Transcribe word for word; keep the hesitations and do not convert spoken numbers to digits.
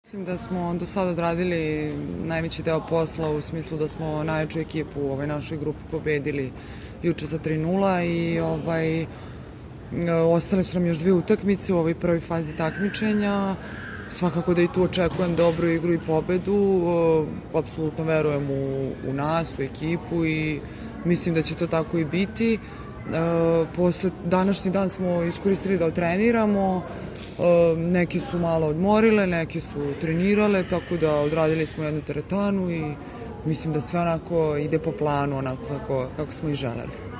Mislim da smo do sada odradili najveći deo posla u smislu da smo najjaču ekipu u ovoj našoj grupi pobedili juče za tri nula i ovaj, ostale su nam još dve utakmice u ovoj prvoj fazi takmičenja. Svakako da i tu očekujem dobru igru i pobedu. Apsolutno verujem u, u nas, u ekipu i mislim da će to tako i biti. Posle današnji dan smo iskoristili da otreniramo. Neki su malo odmorile, neki su trenirale, tako da odradili smo jednu teretanu i mislim da sve onako ide po planu, onako kako, kako smo i želeli.